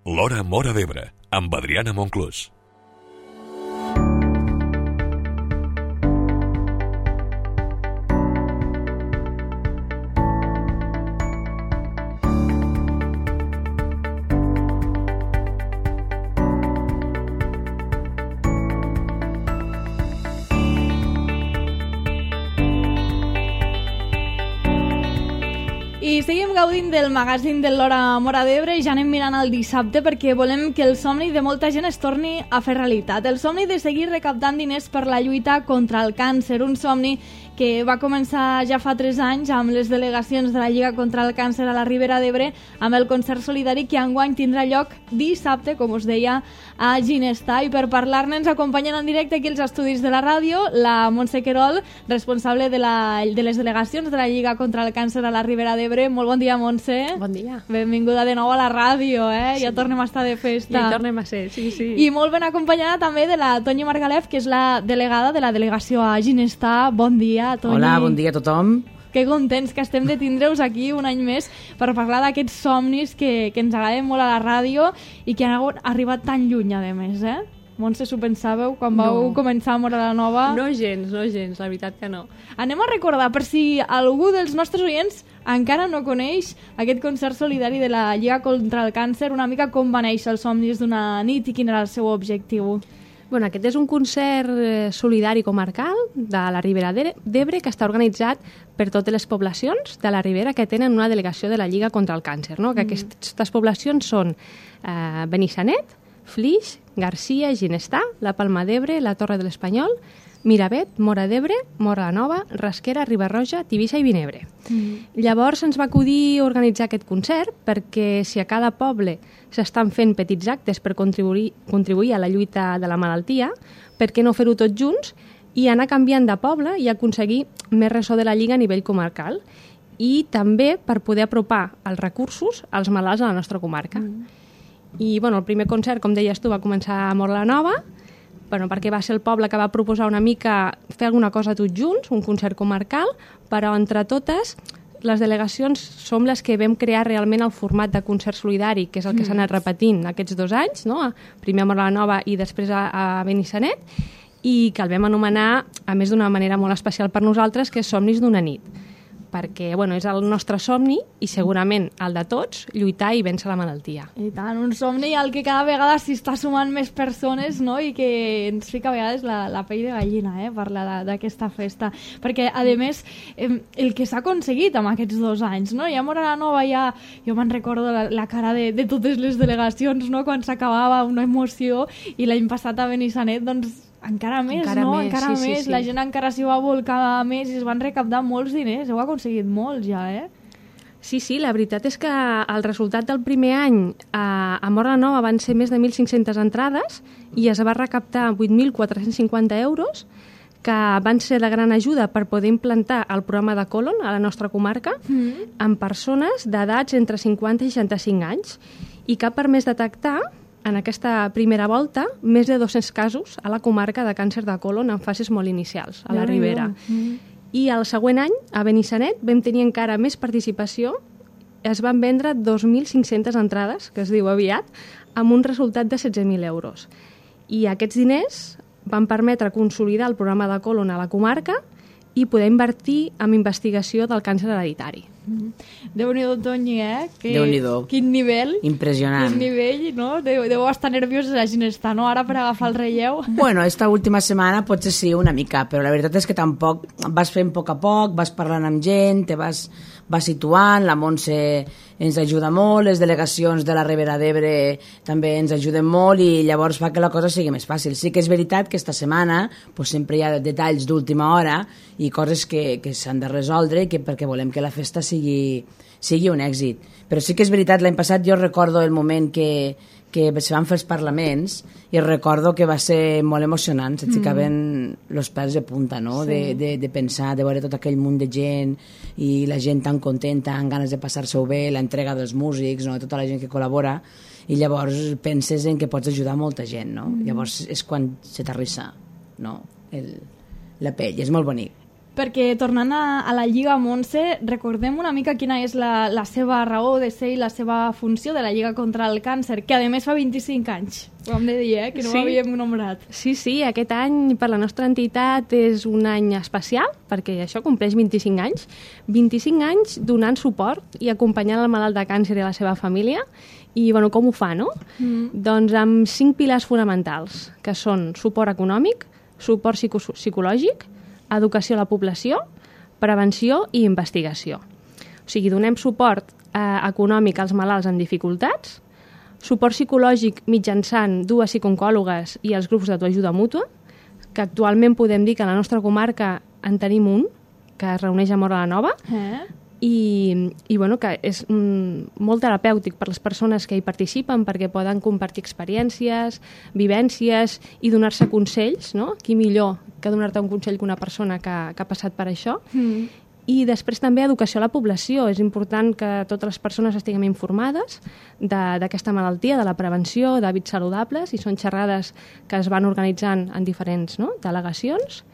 L'Hora Móra d'Ebre, amb Adriana Monclús. I seguim gaudint del magazín de l'Hora Móra d'Ebre i ja anem mirant el dissabte perquè volem que el somni de molta gent es torni a fer realitat. El somni de seguir recaptant diners per la lluita contra el càncer, un somni que va començar ja fa 3 anys amb les delegacions de la Lliga contra el Càncer a la Ribera d'Ebre amb el concert solidari que enguany tindrà lloc dissabte, com us deia, a Ginestar. I per parlar-ne ens acompanyen en directe aquí als estudis de la ràdio la Montse Querol, responsable de les delegacions de la Lliga contra el Càncer a la Ribera d'Ebre. Molt bon dia, Montse. Bon dia. Benvinguda de nou a la ràdio, Sí. Ja tornem a estar de festa. Ja hi tornem a ser, sí. I molt ben acompanyada també de la Toñi Margalef, que és la delegada de la delegació a Ginestar. Bon dia, Toñi. Hola, bon dia a tothom. Que contents que estem de tindre-us aquí un any més per parlar d'aquests somnis que ens agraden molt a la ràdio i que han arribat tan lluny, a més, Montse, s'ho pensàveu quan vau començar a Móra la Nova? No gens, la veritat que no. Anem a recordar, per si algú dels nostres oients encara no coneix aquest concert solidari de la Lliga contra el Càncer, una mica com va néixer els somnis d'una nit i quin era el seu objectiu. Bueno, aquest és un concert solidari comarcal de la Ribera d'Ebre que està organitzat per totes les poblacions de la Ribera que tenen una delegació de la Lliga contra el Càncer. No? Que aquestes poblacions són Benissanet, Flix, Garcia, Ginestar, la Palma d'Ebre, la Torre de l'Espanyol, Miravet, Móra d'Ebre, Móra la Nova, Rasquera, Riba-roja, Tivissa i Vinebre. Llavors ens va acudir organitzar aquest concert perquè si a cada poble s'estan fent petits actes per contribuir a la lluita de la malaltia, per què no fer-ho tots junts i anar canviant de poble i aconseguir més ressò de la Lliga a nivell comarcal i també per poder apropar els recursos als malalts a la nostra comarca. I el primer concert, com deies tu, va començar a Móra la Nova, perquè va ser el poble que va proposar una mica fer alguna cosa tots junts, un concert comarcal, però entre totes les delegacions som les que vam crear realment el format de concert solidari, que és el que s'ha anat repetint aquests 2 anys, no? Primer a Móra la Nova i després a Benissanet, i que el vam anomenar, a més d'una manera molt especial per nosaltres, que és Somnis d'una nit, perquè és el nostre somni i segurament el de tots, lluitar i vèncer la malaltia. I tant, un somni al que cada vegada s'hi està sumant més persones, no? I que ens fica a vegades la pell de gallina, parlar d'aquesta festa. Perquè, a més, el que s'ha aconseguit amb aquests 2 anys, no? I a Móra la Nova jo me'n recordo la cara de totes les delegacions, no? Quan s'acabava una emoció, i l'any passat a Benissanet, doncs, encara més, no? Encara més. La gent encara s'hi va volcar més i es van recaptar molts diners. Heu aconseguit molts ja, Sí, la veritat és que el resultat del primer any a Móra la Nova van ser més de 1.500 entrades i es va recaptar 8.450 euros, que van ser de gran ajuda per poder implantar el programa de Colon a la nostra comarca amb persones d'edats entre 50 i 65 anys i que ha permès detectar en aquesta primera volta més de 200 casos a la comarca de càncer de colon en fases molt inicials, a la Ribera. I el següent any, a Benissanet, vam tenir encara més participació. Es van vendre 2.500 entrades, que es diu aviat, amb un resultat de 16.000 euros. I aquests diners van permetre consolidar el programa de colon a la comarca i poder invertir en investigació del càncer hereditari. Déu-n'hi-do, Toñi, Déu-n'hi-do. Quin nivell. Impressionant. Quin nivell, no? Deu estar nerviós a Ginestar, no? Ara per agafar el relleu. Bueno, esta última setmana potser sí, una mica, però la veritat és que tampoc vas fent a poc, vas parlant amb gent, te vas situant, la Montse ens ajuda molt, les delegacions de la Ribera d'Ebre també ens ajuden molt i llavors fa que la cosa sigui més fàcil. Sí que és veritat que esta setmana pues, sempre hi ha detalls d'última hora i coses que s'han de resoldre perquè volem que la festa sigui un èxit. Però sí que és veritat, l'any passat jo recordo el moment que se van fer els parlaments i recordo que va ser molt emocionant, se't ficaven els pèls de punta, no? Sí. De pensar, de veure tot aquell munt de gent i la gent tan contenta, amb ganes de passar-se-ho bé, l'entrega dels músics, no? Tota la gent que col·labora, i llavors penses en que pots ajudar molta gent, no? Llavors és quan se t'arrissa, no? La pell, és molt bonic. perquè tornant a la Lliga, Montse, recordem una mica quina és la seva raó de ser i la seva funció de la Lliga contra el Càncer, que a més fa 25 anys, ho hem de dir, que no ho havíem nombrat. Sí, aquest any per la nostra entitat és un any especial, perquè això compleix 25 anys. 25 anys donant suport i acompanyant el malalt de càncer i la seva família. I, bueno, com ho fa, no? Doncs amb 5 pilars fonamentals, que són suport econòmic, suport psicològic, educació a la població, prevenció i investigació. O sigui, donem suport econòmic als malalts amb dificultats, suport psicològic mitjançant 2 psicooncòlogues i els grups d'autoajuda mútua, que actualment podem dir que a la nostra comarca en tenim un, que es reuneix a Móra la Nova, i bueno, que és molt terapèutic per les persones que hi participen perquè poden compartir experiències, vivències i donar-se consells, no? Qui millor que donar-te un consell que una persona que ha passat per això. I després també educació a la població. És important que totes les persones estiguem informades d'aquesta malaltia, de la prevenció, d'hàbits saludables, i són xerrades que es van organitzant en diferents delegacions.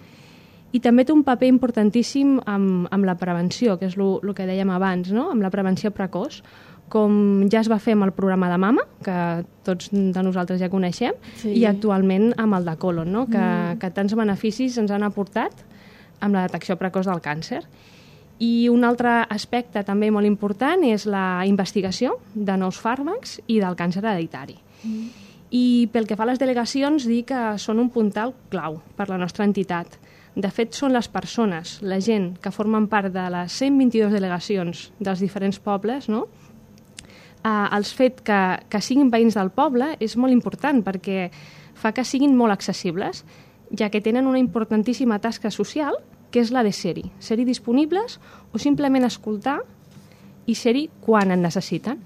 I també té un paper importantíssim amb la prevenció, que és el que dèiem abans, no? Amb la prevenció precoç, com ja es va fer amb el programa de mama, que tots de nosaltres ja coneixem, i actualment amb el de Colon, no? Que tants beneficis ens han aportat amb la detecció precoç del càncer. I un altre aspecte també molt important és la investigació de nous fàrmacs i del càncer hereditari. I pel que fa a les delegacions, dir que són un puntal clau per la nostra entitat. De fet, són les persones, la gent que formen part de les 122 delegacions dels diferents pobles, no? El fet que siguin veïns del poble és molt important perquè fa que siguin molt accessibles, ja que tenen una importantíssima tasca social, que és la de ser-hi disponibles o simplement escoltar i ser-hi quan en necessiten.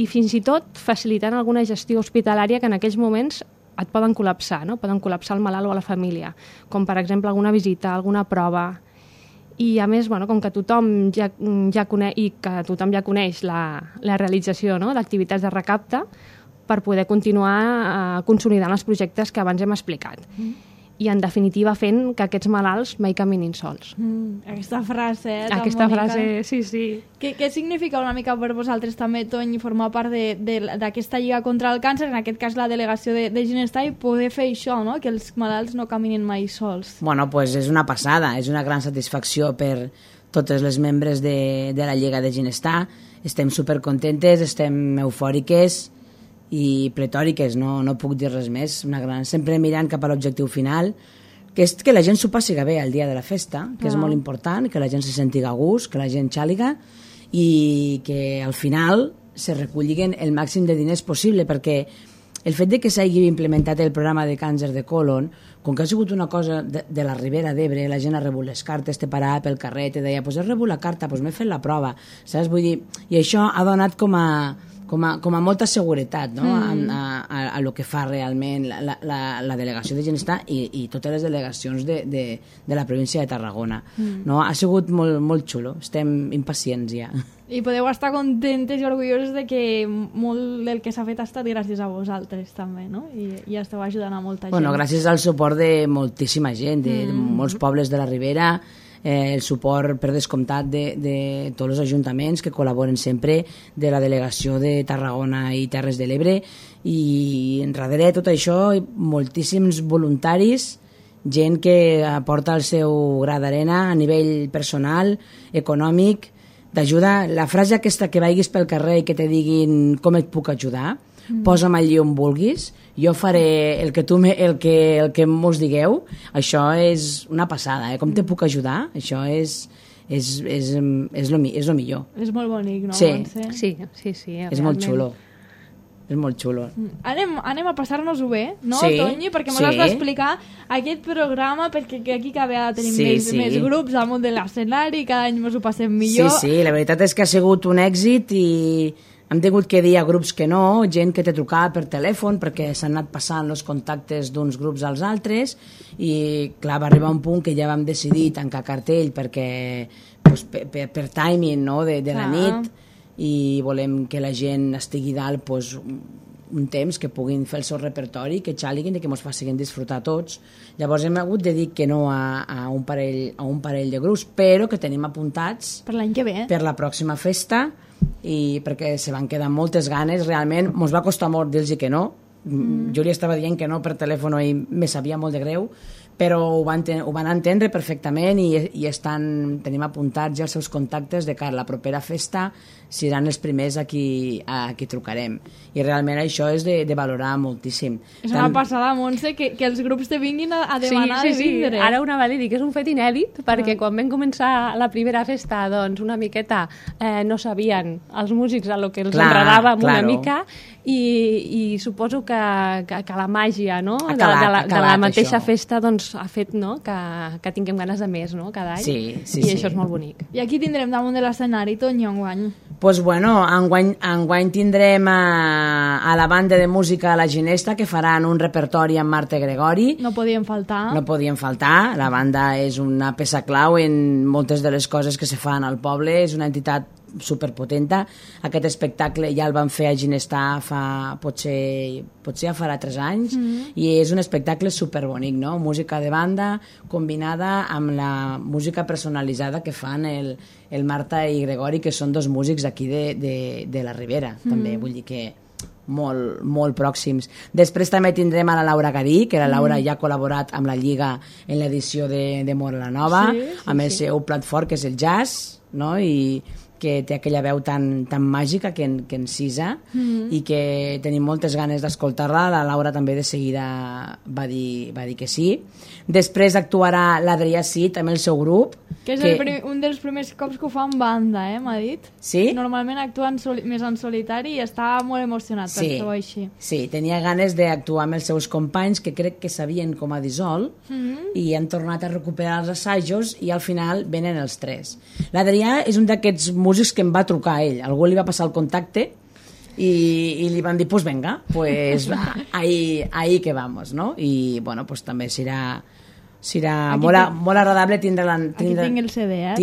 I fins i tot facilitant alguna gestió hospitalària que en aquells moments et poden col·lapsar, no? Poden col·lapsar el malalt o la família, com per exemple alguna visita, alguna prova. I a més, bueno, com que tothom ja coneix la realització, no? D'activitats de recapte per poder continuar consolidant els projectes que abans hem explicat. I, en definitiva, fent que aquests malalts mai caminin sols. Aquesta frase, Aquesta frase, sí. Què significa una mica per vosaltres també, Tony, formar part d'aquesta Lliga contra el Càncer, en aquest cas la delegació de Ginestar, i poder fer això, no? Que els malalts no caminin mai sols? Bueno, pues és una passada, és una gran satisfacció per totes les membres de la Lliga de Ginestar. Estem supercontentes, estem eufòriques i pletòriques, no puc dir res més. Sempre mirant cap a l'objectiu final, que és que la gent s'ho passi bé el dia de la festa, que és molt important, que la gent se senti a gust, que la gent xàliga, i que al final se recollin el màxim de diners possible, perquè el fet de que s'hagi implementat el programa de càncer de colon, com que ha sigut una cosa de la Ribera d'Ebre, la gent ha rebut les cartes, te parava pel carrer, te deia, pues he rebut la carta, pues m'he fet la prova, saps? Vull dir, i això ha donat com a molta seguretat, no? a lo que fa realment la delegació de Ginestar i totes les delegacions de la província de Tarragona. No? Ha sigut molt xulo, estem impacients ja. I podeu estar contentes i orgulloses de que molt del que s'ha fet ha estat gràcies a vosaltres també, no? I esteu ajudant a molta gent. Bueno, gràcies al suport de moltíssima gent, de molts pobles de la Ribera, el suport per descomptat de tots els ajuntaments que col·laboren sempre, de la delegació de Tarragona i Terres de l'Ebre, i darrere tot això moltíssims voluntaris, gent que aporta el seu gra d'arena a nivell personal, econòmic, d'ajuda. La frase aquesta que vagis pel carrer i que te diguin com et puc ajudar, posa'm allí on vulguis, jo faré el que mos digueu, això és una passada, com te puc ajudar, això és lo millor. És molt bonic, no? Sí, és molt xulo. És molt xulo. Anem a passar-nos-ho bé, no, sí, Toni? Perquè m'ho has d'explicar aquest programa, perquè aquí cada vegada tenim més grups al món de l'escenari, cada any ens ho passem millor. Sí, la veritat és que ha sigut un èxit i hem tingut que dir a grups que no, gent que te trucava per telèfon perquè s'han anat passant els contactes d'uns grups als altres i clar, va arribar un punt que ja vam decidir tancar cartell perquè pues, per timing, no, de la nit, i volem que la gent estigui dalt pues, un temps que puguin fer el seu repertori, que xaliguin i que ens facin disfrutar tots. Llavors hem hagut de dir que no a un parell de grups, però que tenim apuntats Per l'any que ve. per la pròxima festa, i perquè se van quedar moltes ganes, realment ens va costar molt dir-los que no. Jo li estava dient que no per telèfon i me sabia molt de greu, però ho van entendre perfectament i tenim apuntats ja els seus contactes de cara a la propera festa, seran els primers a qui trucarem. I realment això és de valorar moltíssim. És una passada, Montse, que els grups te vinguin a demanar de vindre. Ara una vale dir que és un fet inèdit, perquè quan vam començar la primera festa, doncs una miqueta no sabien els músics a lo que els agradava una mica, i suposo que la màgia, no? de la mateixa festa doncs, ha fet, no? que tinguem ganes de més, no? cada any, i això és molt bonic. I aquí tindrem damunt de l'escenari, Toño, enguany? Pues bueno, enguany tindrem a la banda de música La Ginesta, que faran un repertori amb Marta Gregori. No podien faltar. No podien faltar. La banda és una peça clau en moltes de les coses que se fan al poble. És una entitat superpotenta. Aquest espectacle ja el van fer a Ginestar potser ja farà 3 anys, i és un espectacle superbonic, no? Música de banda combinada amb la música personalitzada que fan el Marta i Gregori, que són 2 músics d'aquí de la Ribera, també, vull dir que molt, molt pròxims. Després també tindrem a la Laura Garí, que la Laura ja ha col·laborat amb la Lliga en l'edició de Mora la Nova, amb el seu plat fort, que és el jazz, no? I que té aquella veu tan màgica que encisa, i que tenim moltes ganes d'escoltar-la. La Laura també de seguida va dir que sí. Després actuarà l'Adrià Cid amb el seu grup. Que és un dels primers cops que ho fa en banda, m'ha dit. Sí? Normalment actua més en solitari i està molt emocionat per fer-ho així. Sí, tenia ganes d'actuar amb els seus companys, que crec que sabien com a dissol, i han tornat a recuperar els assajos, i al final venen els 3. L'Adrià és un d'aquests músics que em va trucar a ell. Algú li va passar el contacte i li van dir, pues venga, pues ahí que vamos, no? I bueno, pues també serà molt agradable tindre aquí tinc el CD,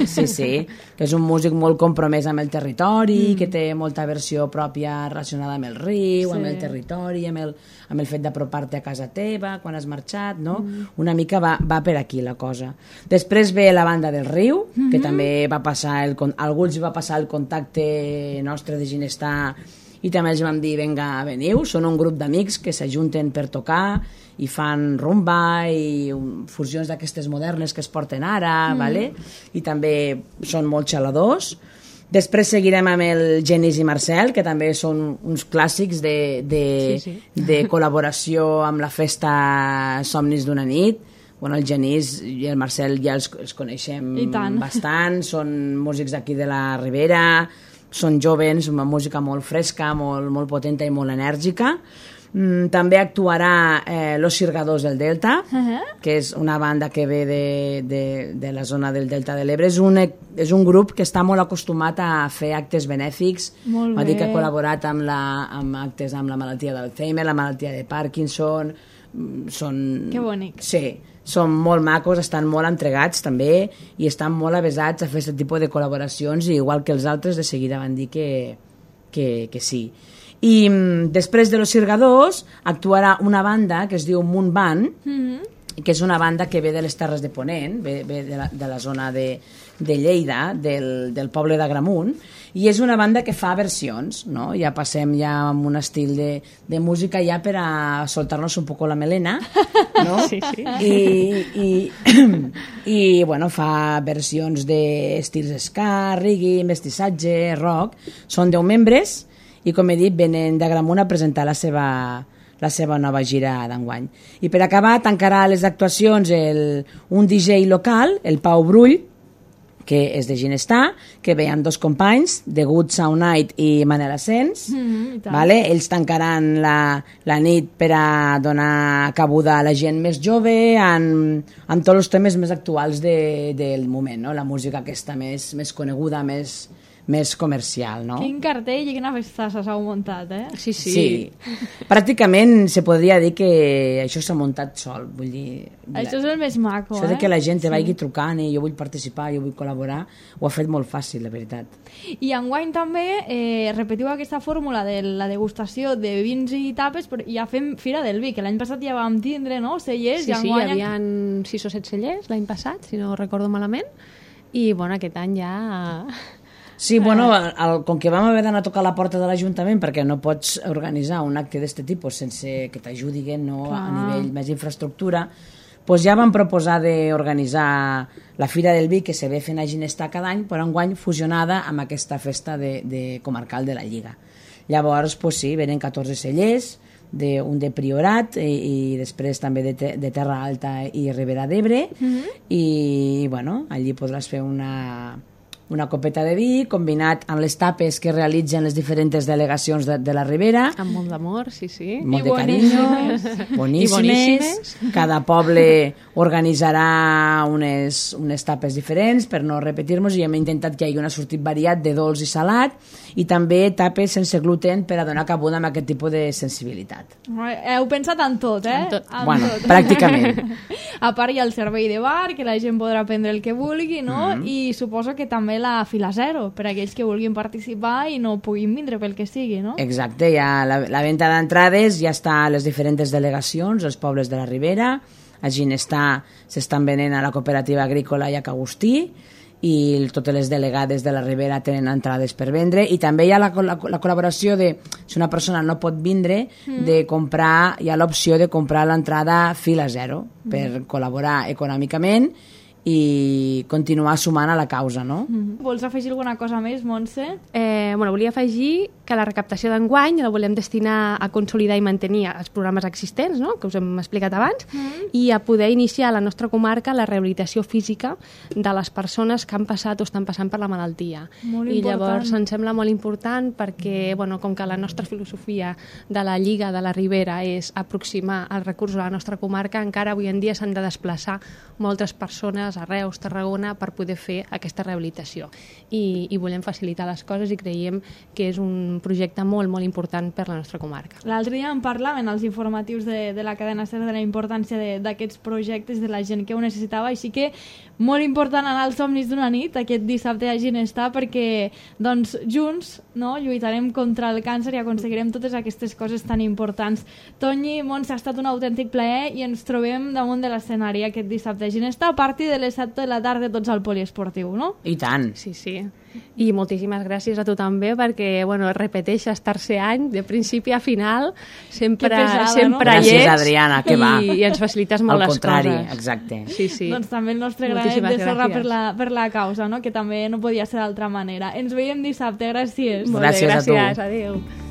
sí, que és un músic molt compromès amb el territori, que té molta versió pròpia relacionada amb el riu, amb el territori, amb el fet d'apropar-te a casa teva quan has marxat, no? Una mica va per aquí la cosa. Després ve la banda del riu, que també va passar algú els va passar el contacte nostre de Ginestar, i també els vam dir, venga, veniu. Són un grup d'amics que s'ajunten per tocar i fan rumba i fusions d'aquestes modernes que es porten ara, vale? I també són molt xaladors. Després seguirem amb el Genís i Marcel, que també són uns clàssics de col·laboració amb la festa Somnis d'una nit. Bueno, el Genís i el Marcel ja els coneixem bastant, són músics d'aquí de la Ribera, són jovens, una música molt fresca, molt potenta i molt enèrgica. També actuarà Los Sirgadors del Delta, que és una banda que ve de la zona del Delta de l'Ebre. És un grup que està molt acostumat a fer actes benèfics. Va dir que ha col·laborat amb actes amb la malaltia d'Alzheimer, la malaltia de Parkinson. Que bonic. Sí, són molt macos, estan molt entregats també, i estan molt avesats a fer aquest tipus de col·laboracions, i igual que els altres de seguida van dir que sí. I després de Los Sirgadors actuarà una banda que es diu Munt Band, que és una banda que ve de les Terres de Ponent, ve de la zona de Lleida, del poble d'Agramunt, i és una banda que fa versions, no? Ja passem ja amb un estil de música ja per a soltar-nos un poco la melena, no? Sí. I bueno, fa versions d'estils ska, reggae, mestissatge, rock. Són 10 membres, i com he dit, venen d'Agramunt a presentar la seva nova gira d'enguany. I per acabar, tancarà les actuacions un DJ local, el Pau Brull, que és de Ginestar, que ve amb 2 companys, The Good Sound Night i Manel Asens. Vale? Ells tancaran la nit per a donar cabuda a la gent més jove amb tots els temes més actuals del moment, no? La música aquesta més coneguda, més més comercial, no? Quin cartell i quina festassa s'heu muntat, eh? Sí, sí. Sí. Pràcticament se podria dir que això s'ha muntat sol, vull dir... Això és el més maco, Això de que la gent te vagi trucant i jo vull participar, jo vull col·laborar, ho ha fet molt fàcil, la veritat. I enguany també repetiu aquesta fórmula de la degustació de vins i tapes, però ja fem Fira del Vi, que l'any passat ja vam tindre, no?, cellers. Sí, i sí, hi enguany... havia 6 o 7 cellers l'any passat, si no recordo malament, i bueno, aquest any ja... Sí, bueno, com que vam haver d'anar a tocar la porta de l'Ajuntament perquè no pots organitzar un acte d'aquest tipus sense que t'ajudin, no, a nivell més infraestructura, doncs ja vam proposar d'organitzar la Fira del Vi, que se ve fent a Ginestar cada any, però enguany fusionada amb aquesta festa de comarcal de la Lliga. Llavors, doncs sí, venen 14 cellers, un de Priorat i després també de Terra Alta i Ribera d'Ebre, i bueno, allí podràs fer una copeta de vi combinat amb les tapes que realitzen les diferents delegacions de la Ribera. Amb molt d'amor, sí, sí. Molt de carinyo, boníssimes. Cada poble organitzarà unes tapes diferents per no repetir-nos, i hem intentat que hi hagi un sortit variat de dolç i salat, i també tapes sense gluten per a donar cabuda amb aquest tipus de sensibilitat. Heu pensat en tot, eh? En tot. Bueno, pràcticament. A part hi ha el servei de bar, que la gent podrà prendre el que vulgui, no? I suposo que també la fila zero, per a aquells que vulguin participar i no puguin vindre pel que sigui, no? Exacte, ja la venda d'entrades ja està a les diferents delegacions, als pobles de la Ribera. A Ginestar s'estan venent a la cooperativa agrícola i a Cagustí, i totes les delegades de la Ribera tenen entrades per vendre, i també hi ha la col·laboració de, si una persona no pot vindre, de comprar, hi ha l'opció de comprar l'entrada fila zero per col·laborar econòmicament i continuar sumant a la causa, no? Vols afegir alguna cosa més, Montse? Bueno, volia afegir que la recaptació d'enguany la volem destinar a consolidar i mantenir els programes existents, no?, que us hem explicat abans, i a poder iniciar a la nostra comarca la rehabilitació física de les persones que han passat o estan passant per la malaltia. Molt I important. llavors ens sembla molt important perquè, bueno, com que la nostra filosofia de la Lliga de la Ribera és aproximar els recursos a la nostra comarca, encara avui en dia s'han de desplaçar moltes persones a Reus, Tarragona, per poder fer aquesta rehabilitació. I volem facilitar les coses i creiem que és un projecte molt, molt important per la nostra comarca. L'altre dia en parlaven els informatius de la cadena SER de la importància d'aquests projectes, de la gent que ho necessitava, així que molt important anar als somnis d'una nit aquest dissabte a Ginestar, perquè doncs, junts, no, lluitarem contra el càncer i aconseguirem totes aquestes coses tan importants. Toni, Montse, ha estat un autèntic plaer i ens trobem damunt de l'escenari aquest dissabte a Ginestar a partir de les 7 de la tarda tots al poliesportiu, no? I tant. Sí, sí. I moltíssimes gràcies a tu també, perquè, bueno, repeteixes tercer any, de principi a final, sempre, pesada, sempre no? hi ets. Gràcies, Adriana, que va. I ens facilites molt les coses. Al contrari, exacte. Sí, sí. Doncs també el nostre granet Moltíssimes de sorra gràcies. per la causa, no? Que també no podia ser d'altra manera. Ens veiem dissabte, gràcies. Molt bé, Gràcies a tu. gràcies, adéu.